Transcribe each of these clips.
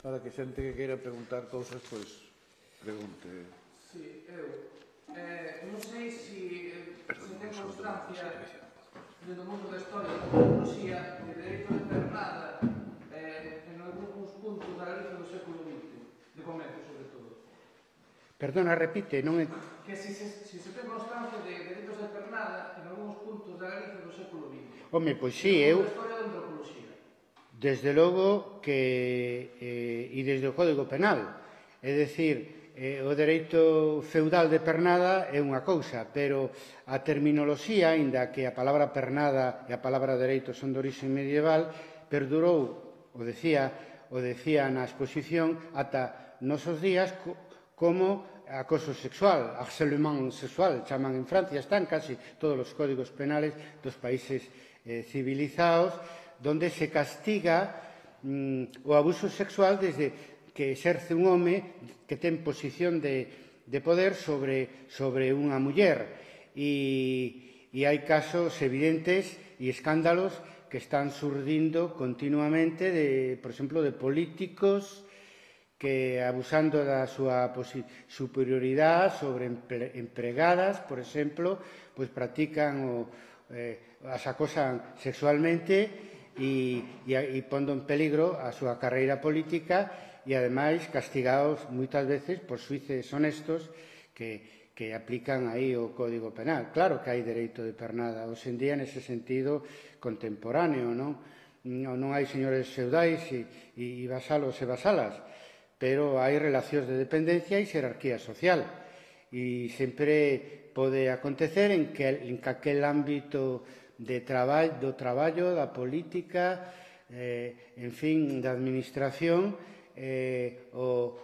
Para que xente que queira preguntar cousas, pois, pregunte. Sí, eu. Non sei se ten constancia no mundo da historia da antropoloxía de dereito de pernada en algúns puntos da Galicia do século XX, de comezo, sobre todo. Perdona, repite, non é... Que se ten constancia de dereitos de pernada en algúns puntos da Galicia do século XX. Home, pois sí, eu... Da historia da antropoloxía. Desde logo que... e desde o Código Penal. É dicir, o dereito feudal de pernada é unha cousa, pero a terminoloxía, aínda que a palabra pernada e a palabra dereito son de orixe medieval, perdurou, o decía na exposición, ata nosos días como acoso sexual, harcèlement sexual, chaman en Francia, están casi todos os códigos penales dos países civilizados, donde se castiga o abuso sexual desde que exerce un home que ten posición de poder sobre unha muller. E hai casos evidentes e escándalos que están surdindo continuamente, por exemplo, de políticos que, abusando da súa superioridade sobre empregadas, por exemplo, pois practican as acosan sexualmente e pondo en peligro a súa carreira política e, ademais, castigados moitas veces por xuíces honestos que aplican aí o Código Penal. Claro que hai dereito de pernada hoxe en día nese sentido contemporáneo, non? Non hai señores feudais e vasalos e vasalas, pero hai relacións de dependencia e xerarquía social. E sempre pode acontecer en que aquel ámbito do traballo, da política, en fin, da administración, un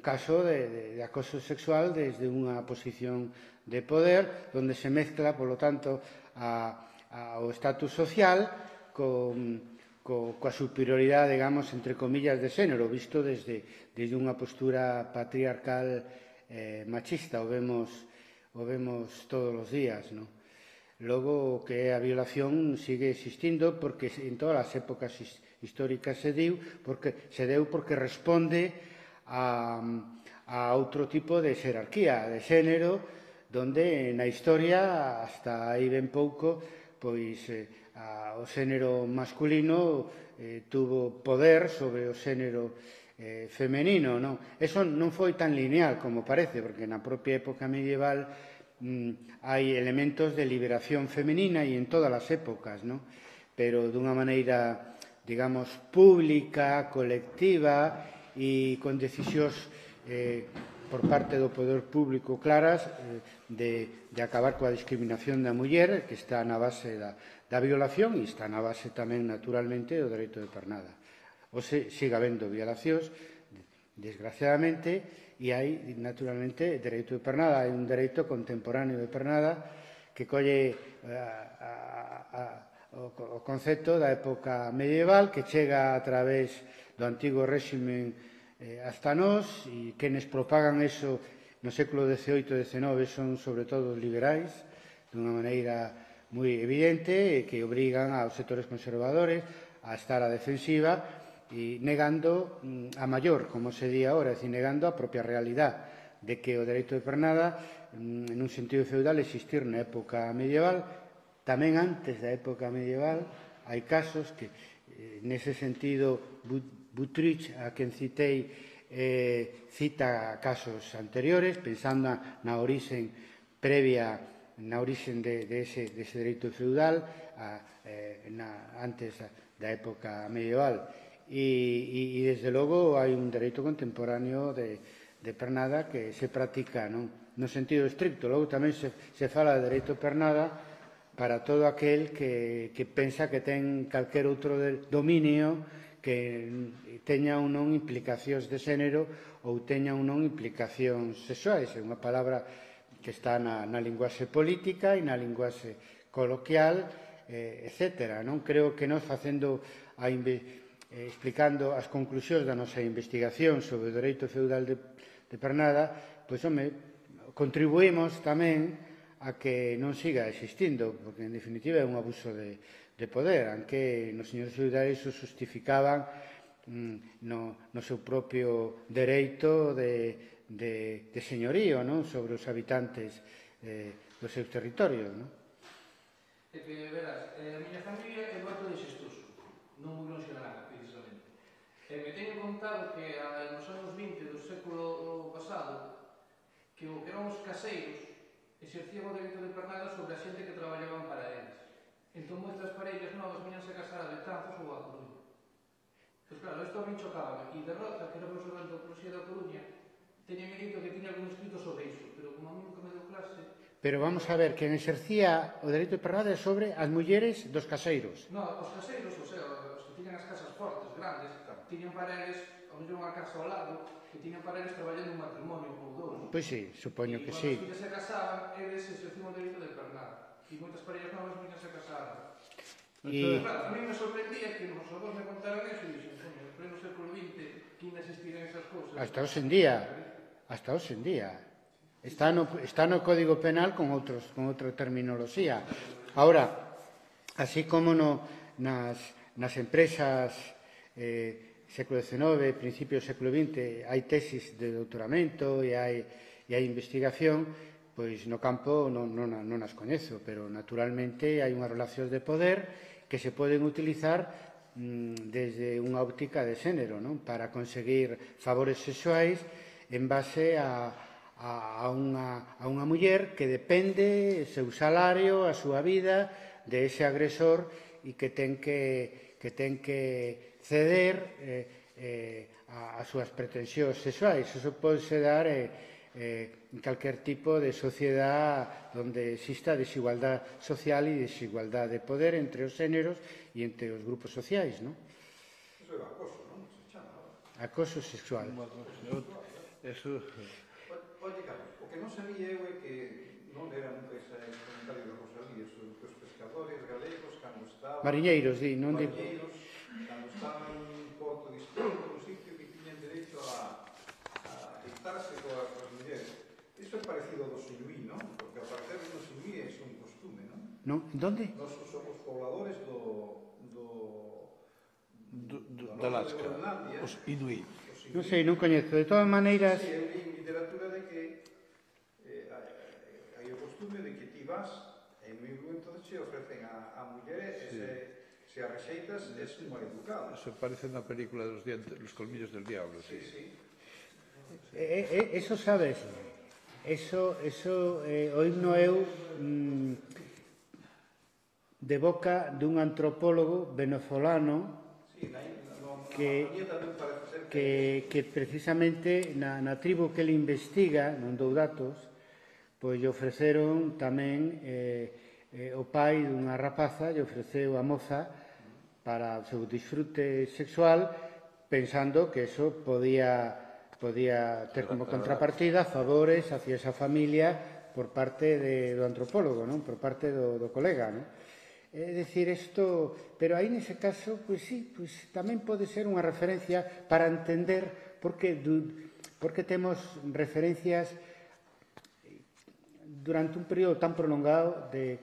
caso de acoso sexual desde unha posición de poder, onde se mezcla, polo tanto, o estatus social coa superioridade, digamos, entre comillas, de xénero, visto desde unha postura patriarcal machista, o vemos todos os días, non? Logo, que a violación sigue existindo porque en todas as épocas históricas se deu porque responde a outro tipo de xerarquía de xénero, donde na historia, hasta aí ben pouco, pois o xénero masculino tuvo poder sobre o xénero femenino, non? Eso non foi tan lineal como parece, porque na propia época medieval hai elementos de liberación femenina e en todas as épocas, non? Pero dunha maneira, digamos, pública, colectiva e con decisións por parte do poder público claras de acabar coa discriminación da muller, que está na base da violación e está na base tamén, naturalmente, do dereito de pernada. Hoxe siga habendo violacións, desgraciadamente, e hai, naturalmente, dereito de pernada. Hai un dereito contemporáneo de pernada que colle o concepto da época medieval, que chega a través do antigo réximen hasta nós, e quenes propagan eso no século XVIII e XIX son, sobre todo, os liberais, dunha maneira moi evidente, que obrigan aos sectores conservadores a estar a defensiva e negando a maior, como se di agora, é dicir, negando a propia realidade de que o dereito de pernada, en un sentido feudal, existir na época medieval. Tamén antes da época medieval hai casos que, nese sentido, Buttrich, a quen citei, cita casos anteriores, pensando na orixen previa, na orixen dese dereito feudal antes da época medieval. E, desde logo, hai un dereito contemporáneo de pernada que se practica no sentido estricto. Logo tamén se fala de dereito de pernada para todo aquel que pensa que ten calquer outro dominio que teña ou non implicacións de xénero ou teña ou non implicacións sexuais. É unha palabra que está na linguaxe política e na linguaxe coloquial, etc. Creo que nós explicando as conclusións da nosa investigación sobre o dereito feudal de pernada, pois, contribuímos tamén a que non siga existindo, porque, en definitiva, é un abuso de poder, aunque nos señores feudais o justificaban no seu propio dereito de señorío, non? Sobre os habitantes dos seus territorios, non? É que, verás, a miña familia é moito de Xestoso, non moi longe de nada, precisamente. E me teño contado que nos anos 20 do século pasado, que o que eran os caseiros exercían o dereito de pernada sobre a xente que traballaban para eles. Entón, moitas parellas novas viñanse a casar a Betanzos ou a Coruña. Pois claro, isto a min chocaba. E de Rota, que era profesor de antropoloxía da Coruña, teñame dito que tiña algún escrito sobre iso, pero como a mí nunca me deu clase... Pero vamos a ver, quen exercía o dereito de pernada é sobre as mulleres dos caseiros. No, os caseiros, o sea, os que tiñan as casas fortes, grandes, tiñan para eles, ao mellor unha casa ao lado, que tiñan para eles traballando un matrimonio ou dous. Pois sí, supoño que sí. E cando os filles se casaban, eles exercían o dereito de pernada. E moitas parellas novas viñan se casar. E Claro, a mí me sorprendía que os avós me contaran eso e dixen, coño, en pleno século XX, que ainda existiran esas cousas. hasta hoxe en día. Está no Código Penal con outra terminoloxía. Ahora, así como nas empresas século XIX, principios do século XX, hai tesis de doutoramento e hai investigación, pois no campo non as coñezo, pero naturalmente hai unhas relacións de poder que se poden utilizar desde unha óptica de xénero, non? Para conseguir favores sexuais en base a unha muller que depende o seu salario, a súa vida, de ese agresor e que ten que ceder as súas pretensións sexuais. Iso pode dar en calquer tipo de sociedade onde exista desigualdad social e desigualdad de poder entre os xéneros e entre os grupos sociais, non? Eso é acoso, non? Se chama. Acoso sexual. Eso... Oye, Carlos, o que non sabía eu é que non era nunca ese comentario de Rosalía sobre que os pescadores galegos, cando estaban... Mariñeiros, di, non di... Mariñeiros, cando estaban en Porto Distrito, no sitio que tiñan dereito a dictarse coas mulleres. Iso é parecido ao do Suñuí, non? Porque a partir do Suñuí é un costume, non? Non? Donde? Nos somos pobladores da Alaska, os Inuit. Non sei, non coñezo. De todas maneiras... Sí, eu li en literatura de que hai o costume de que ti vas e no momento che ofrecen a muller e se a rexeitas es un mal educado. Eso parece unha película dos colmillos del diablo, sí. Eso sabes, eso oíno eu de boca dun antropólogo venezolano que precisamente na tribu que ele investiga, non dou datos, pois lle ofreceron tamén o pai dunha rapaza, lle ofreceu a moza para o seu disfrute sexual, pensando que eso podía ter como contrapartida favores hacia esa familia por parte do antropólogo, non? Por parte do colega, non? É dicir, isto, pero aí nese caso, pois sí, pois tamén pode ser unha referencia para entender por que temos referencias durante un período tan prolongado de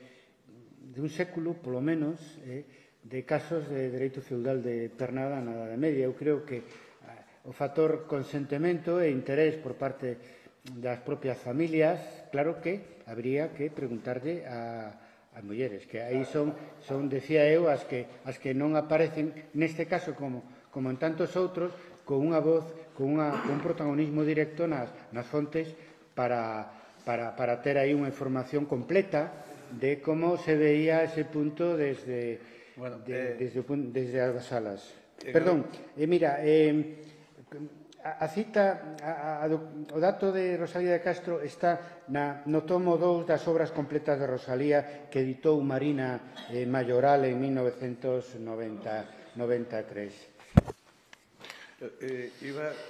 un século, polo menos, de casos de dereito feudal de pernada na Idade Media. Eu creo que o factor consentimento e interés por parte das propias familias, claro que habría que preguntarlle as mulleres, que aí son, decía eu, as que non aparecen neste caso como en tantos outros, con unha voz, con un protagonismo directo nas fontes para ter aí unha información completa de como se veía ese punto desde as salas. Perdón, mira, a cita, o dato de Rosalía de Castro está no tomo 2 das obras completas de Rosalía que editou Marina Mayoral en 1993.